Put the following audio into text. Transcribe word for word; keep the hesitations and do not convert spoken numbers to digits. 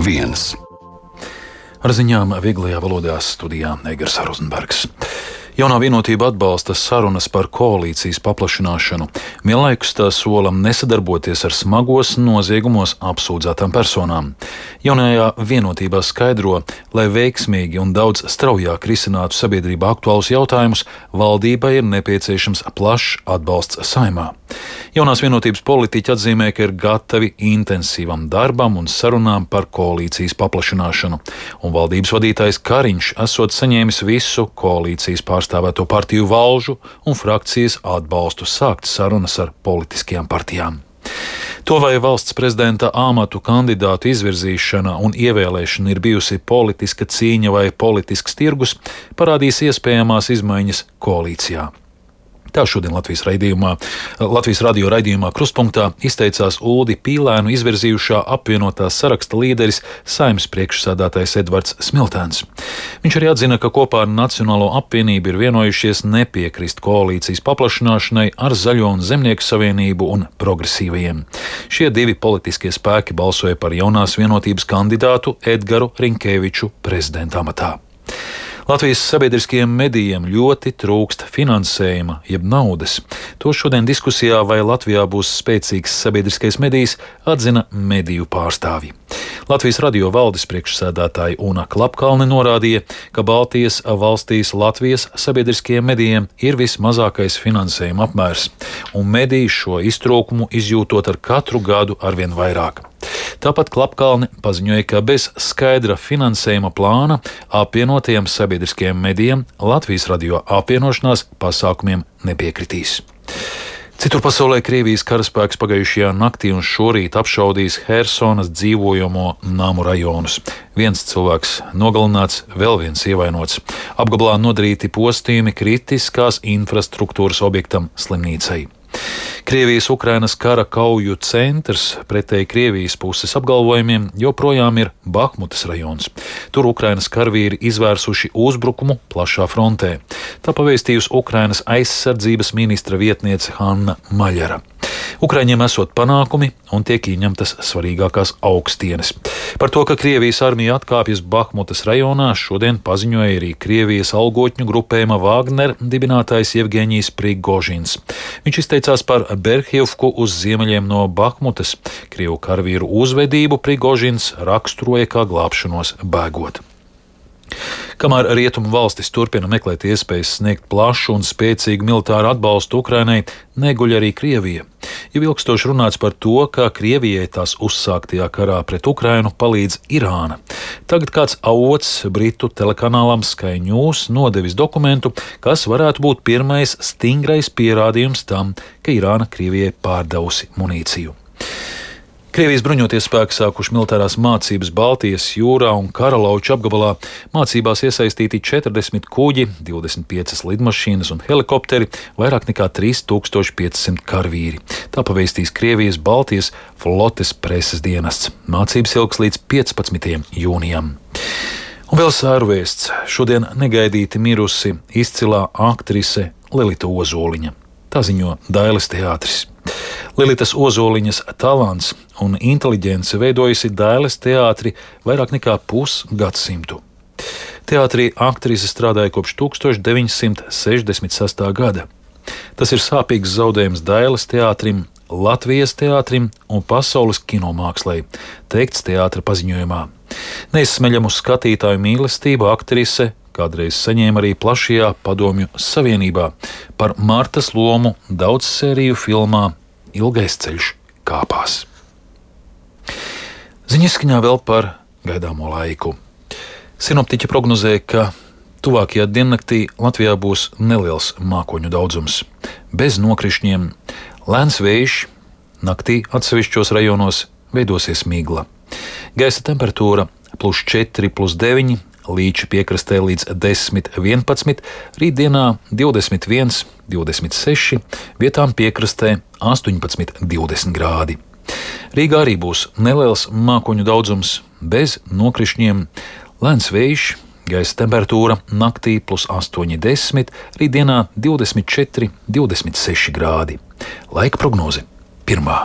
viens. Ar ziņām vieglajā valodā studijā Egers Rozenbergs. Jaunā vienotība atbalsta sarunas par koalīcijas paplašināšanu. Vienlaikus tā sola nesadarboties ar smagos noziegumos apsūdzētām personām. Jaunajā vienotībā skaidro, lai veiksmīgi un daudz straujāk risinātu sabiedrībā aktuālus jautājumus, valdībai ir nepieciešams plašs atbalsts Saeimā. Jaunās vienotības politiķi atzīmē, ka ir gatavi intensīvam darbam un sarunām par koalīcijas paplašināšanu, un valdības vadītājs Kariņš esot saņēmis visu koalīcijas pārstāvēto partiju valžu un frakcijas atbalstu sākt sarunas ar politiskajām partijām. To, vai valsts prezidenta amatu kandidātu izvirzīšana un ievēlēšana ir bijusi politiska cīņa vai politisks tirgus, parādīs iespējamās izmaiņas koalīcijā. Tā šodien Latvijas, raidījumā, Latvijas radio raidījumā Krustpunktā izteicās Uldi Pīlēnu izvirzījušā apvienotā saraksta līderis Saeimas priekšsēdētājs Edvards Smiltēns. Viņš arī atzina, ka kopā ar Nacionālo apvienību ir vienojušies nepiekrist koalīcijas paplašināšanai ar Zaļo un Zemnieku savienību un progresīvajiem. Šie divi politiskie spēki balsoja par jaunās vienotības kandidātu Edgaru Rinkēviču prezidenta amatā. Latvijas sabiedriskajiem medijiem ļoti trūkst finansējuma, jeb naudas. To šodien diskusijā, vai Latvijā būs spēcīgs sabiedriskais medijs, atzina mediju pārstāvji. Latvijas radio valdes priekšsēdētāja Una Klapkalne norādīja, ka Baltijas valstīs Latvijas sabiedriskajiem medijiem ir vismazākais finansējuma apmērs, un mediji šo iztrūkumu izjūtot ar katru gadu arvien vairāk. Tāpat Klapkalne paziņoja, ka bez skaidra finansējuma plāna apvienotajiem sabiedriskajiem medijiem Latvijas radio apvienošanās pasākumiem nepiekritīs. Citur pasaulē Krievijas karaspēks pagājušajā naktī un šorīt apšaudījis Hersonas dzīvojamo namu rajonus. Viens cilvēks nogalināts, vēl viens ievainots. Apgabalā nodarīti postījumi kritiskās infrastruktūras objektam slimnīcai. Krievijas-Ukrainas kara kauju centrs pretēji Krievijas puses apgalvojumiem joprojām ir Bahmutas rajons. Tur Ukrainas karavīri izvērsuši uzbrukumu plašā frontē. Tā pavēstījusi Ukrainas aizsardzības ministra vietniece Hanna Maļara. Ukraiņiem esot panākumi un tiek ieņemtas svarīgākās augstienes. Par to, ka Krievijas armija atkāpjas Bahmutas rajonā, šodien paziņoja arī Krievijas algotņu grupējuma Wagner dibinātājs Jevgeņijs Prigožins. Viņš izteicās par Berhjivku uz ziemeļiem no Bahmutas. Krievu karavīru uzvedību Prigožins raksturoja kā glābšanos bēgot. Kamēr rietumu valstis turpina meklēt iespējas sniegt plašu un spēcīgu militāru atbalstu Ukrainai, neguļ arī Krievija. Jau ilgstoši runāts par to, kā Krievijai tās uzsāktajā karā pret Ukrainu palīdz Irāna. Tagad kāds avots britu telekanālam Sky News nodevis dokumentu, kas varētu būt pirmais stingrais pierādījums tam, ka Irāna Krievijai pārdevusi munīciju. Krievijas bruņotie spēki sākuši militārās mācības Baltijas jūrā un Karalauču apgabalā. Mācībās iesaistīti četrdesmit kuģi, divdesmit piecas lidmašīnas un helikopteri, vairāk nekā trīs tūkstoši pieci simti karavīri. Tā pavēstīs Krievijas Baltijas flotes preses dienests. Mācības ilgs līdz piecpadsmitajam jūnijam. Un vēl sēru vēsts. Šodien negaidīti mirusi izcilā aktrise Lilita Ozoliņa. Tā ziņo Dailes teātris. Lilitas Ozoliņas talants un inteliģence veidojusi Dailes teātri vairāk nekā pusgadsimtu. Teātrī aktrise strādāja kopš tūkstoš deviņi simti sešdesmit sestā gada. Tas ir sāpīgs zaudējums Dailes teātrim, Latvijas teātrim un pasaules kinomākslei, teikts teātra paziņojumā. Neizsmeļamu skatītāju mīlestību aktrise kādreiz saņēma arī plašajā Padomju Savienībā par Martas lomu daudzsēriju filmā Ilgais ceļš kāpās. Ziņaskaņā vēl par gaidāmo laiku. Sinoptiķi prognozē, ka tuvākajā diennaktī Latvijā būs neliels mākoņu daudzums. Bez nokrišņiem, lēns vējš, naktī atsevišķos rajonos veidosies migla. Gaisa temperatūra plus četri, plus deviņi, Līča piekrastē līdz desmit, vienpadsmit, rītdienā divdesmit viens, divdesmit seši, vietām piekrastē astoņpadsmit, divdesmit grādi. Rīgā arī būs neliels mākoņu daudzums, bez nokrišņiem, lēns vējš, gaisa temperatūra naktī plus astoņi, desmit, rītdienā divdesmit četri, divdesmit seši grādi. Laika prognoze pirmā.